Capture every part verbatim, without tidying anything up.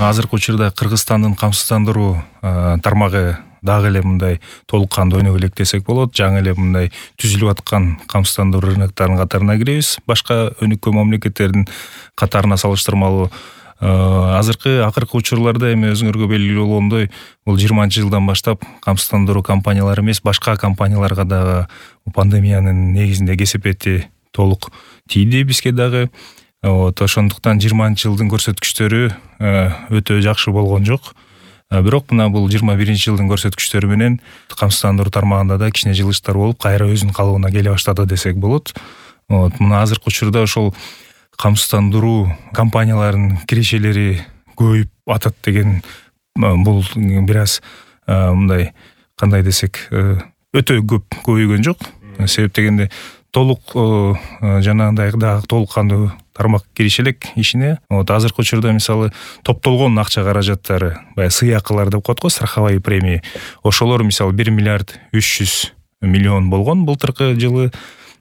Азыркы учурда Кыргызстандын камсыздандыруу тармагы дагы эле мындай толук кандуу өнүгө элек десек болот. Жаңы эле мындай түзүлүп аткан камсыздандыруу рыноктарынын катарына киребиз. Башка өнүккөн мамлекеттердин катарына салыштырмалуу азыркы акыркы учурларда эми өзүңөргө белгилүү болгондой, бул жыйырманчы жылдан баштап камсыздандыруу компаниялары эмес, башка компанияларга дагы пандемиянын негизинде кесепети толук тийди бизге дагы. Вот, ошондуктан жыйырманчы жылдын көрсөткүчтөрү өтө жакшы болгон жок. Бирок мына бул жыйырма биринчи жылдын көрсөткүчтөрү менен камсыздандыруу тармагында да кичине жылыштар болуп, кайра өзүнүн калыбына келе баштады десек болот. Вот, мына азыркы учурда ошол камсыздандыруу компанияларынын кирешелери көбөйүп атат деген бул бир аз мындай кандай десек өтө көп көбөйгөн жок. Себеп дегенде толук жанагындай дагы толук кандуу тармак кириш элек ишине. Вот азыркы учурда мисалы топтолгон акча каражаттары, баягы сыйакылар деп коет го, страховая премия. Ошолор мисалы бир миллиард үч жүз миллион болгон былтыркы жылы.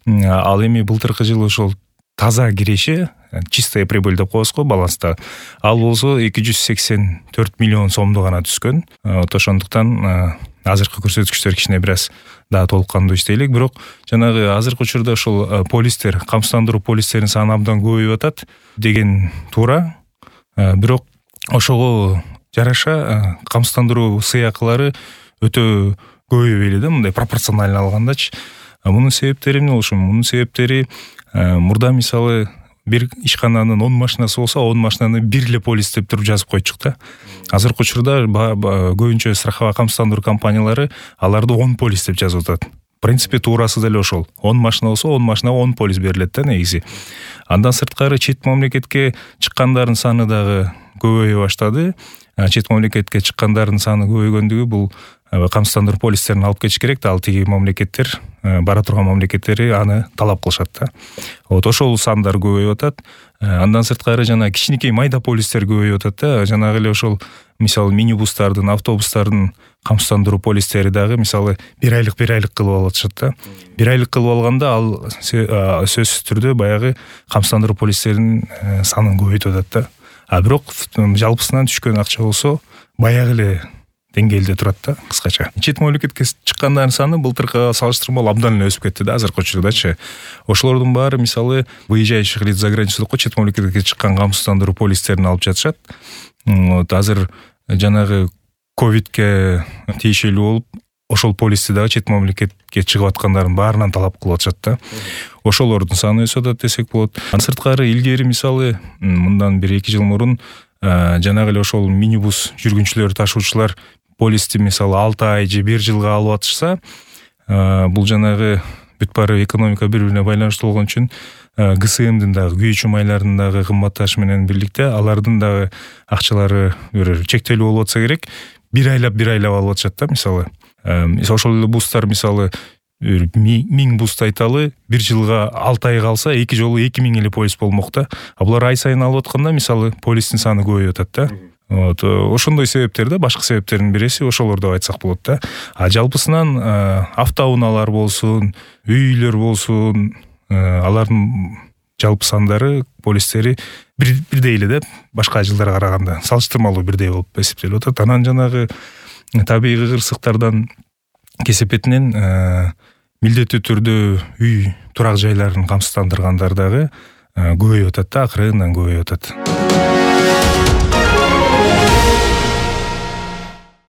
Ал эми былтыркы жылы ошол таза киреше, чистая прибыль деп коебуз го баланста. Ал болсо эки жүз сексен төрт миллион сомду гана түскөн. Вот ошондуктан азыркы көрсөткүчтөр кичине бир аз дагы толук кандуу иштей элек. Бирок жанагы азыркы учурда ошол полистер, камсыздандыруу полистеринин саны абдан көбөйүп атат деген туура. Бирок ошого жараша камсыздандыруу сыйакылары өтө көбөйбөйли да, мындай пропорционально алгандачы. Мунун себептери эмне болушу мүмкүн? Мунун себептери мурда мисалы бир ишкананын он машинасы болсо, он машинаны бир эле полис деп туруп жазып койчук да. Азыркы учурда көбүнчө страховая камсыздандыруу компаниялары аларды он полис деп жазып атат. В принципе, туурасы деле ошол. он машина болсо, он машинага он полис берилет да негизи. Андан сырткары чет мамлекетке чыккандардын саны дагы көбөйө баштады. Чет мамлекетке чыккандардын саны көбөйгөндүгү бул камсыздандыруу полистерин алып кетиш керек да, ал тиги мамлекеттер, бара турган мамлекеттери аны талап кылышат да. Вот ошол сандар көбөйүп атат. Андан сырткары жана кичинекей майда полистер көбөйүп атат да. Жанагы эле ошол мисалы минибустардын, автобустардын камсыздандыруу полистери дагы мисалы бир айлык бир айлык кылып алып атышат да. Бир айлык кылып алганда ал сөзсүз түрдө баягы камсыздандыруу полистеринин санын көбөйтүп атат да. А бирок жалпысынан түшкөн акча болсо баягы эле деңгээлде турат да, кыскача. Чет мамлекетке чыккандардын саны былтыркыга салыштырмалуу абдан эле өсүп кетти да азыркы учурдачы. Ошолордун баары мисалы выезжающих лиц за границу деп чет мамлекетке чыккан камсыздандыруу полистерин алып жатышат. Вот азыр жанагы ковидке тиешелүү болуп, ошол полисти дагы чет мамлекетке чыгып аткандардын баарынан талап кылып атышат да. Ошолордун саны өсүп атат десек болот. Сырткары илгери мисалы мындан бир эки жыл мурун жанагы эле ошол минибус жүргүнчүлөр, ташуучулар полисти мисалы алты ай же бир жылга алып атышса, бул жанагы бүт баары экономика бири-бирине байланыштуу болгон үчүн ГСМдин дагы күйүүчү майлардын дагы кымбатташы менен бирликте алардын дагы акчалары бир чектелүү болуп атса керек, бир айлап бир айлап алып атышат да мисалы. Ошол эле бустар мисалы миң буст айталы бир жылга алты ай калса эки жолу эки миң эле полис болмок да. А булар ай сайын алып атканда мисалы полистин саны көбөйүп атат да. Вот ошондой себептер да, башка себептердин биреси ошолор деп айтсак болот да. А жалпысынан автоунаалар болсун, үйлөр болсун, алардын жалпы сандары, полистери бирдей эле да, башка жылдарга караганда салыштырмалуу бирдей болуп эсептелип атат. Анан жанагы табигый кырсыктардан кесепетинен милдеттүү түрдө үй турак жайларын камсыздандыргандар дагы көбөйүп атат да, акырындан көбөйүп атат.